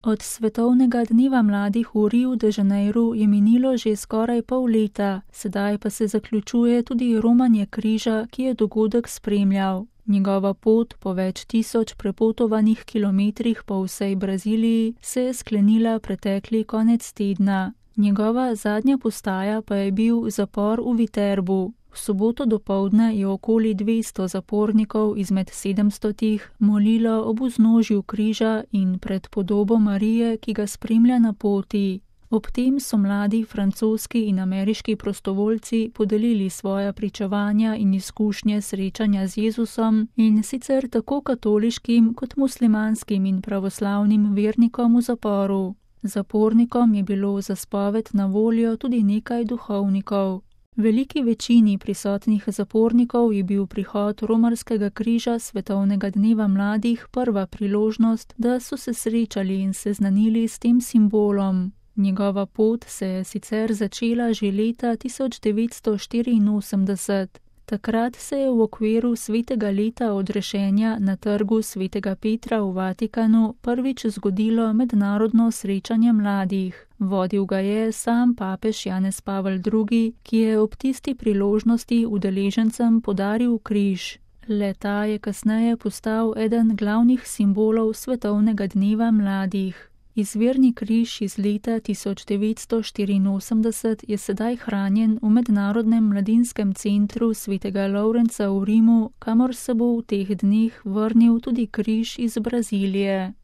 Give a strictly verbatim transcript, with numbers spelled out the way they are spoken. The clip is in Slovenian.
Od svetovnega dneva mladih v Riu de Janeiru je minilo že skoraj pol leta, sedaj pa se zaključuje tudi romanje križa, ki je dogodek spremljal. Njegova pot po več tisoč prepotovanih kilometrih po vsej Braziliji se je sklenila pretekli konec tedna. Njegova zadnja postaja pa je bil zapor v Viterbu. V soboto dopoldne je okoli dvesto zapornikov izmed sedemstotih molilo ob vznožju križa in pred podobo Marije, ki ga spremlja na poti. Ob tem so mladi francoski in ameriški prostovoljci podelili svoja pričevanja in izkušnje srečanja z Jezusom, in sicer tako katoliškim kot muslimanskim in pravoslavnim vernikom v zaporu. Zapornikom je bilo za spoved na voljo tudi nekaj duhovnikov. Veliki večini prisotnih zapornikov je bil prihod romarskega križa svetovnega dneva mladih prva priložnost, da so se srečali in seznanili s tem simbolom. Njegova pot se je sicer začela že leta tisoč devetsto štiriinosemdeset. Takrat se je v okviru svetega leta odrešenja na trgu svetega Petra v Vatikanu prvič zgodilo mednarodno srečanje mladih. Vodil ga je sam papež Janez Pavel drugi, ki je ob tisti priložnosti udeležencem podaril križ. Le-ta je kasneje postal eden glavnih simbolov svetovnega dneva mladih. Izvirni križ iz leta tisoč devetsto štiriinosemdeset je sedaj hranjen v Mednarodnem mladinskem centru svetega Lovrenca v Rimu, kamor se bo v teh dneh vrnil tudi križ iz Brazilije.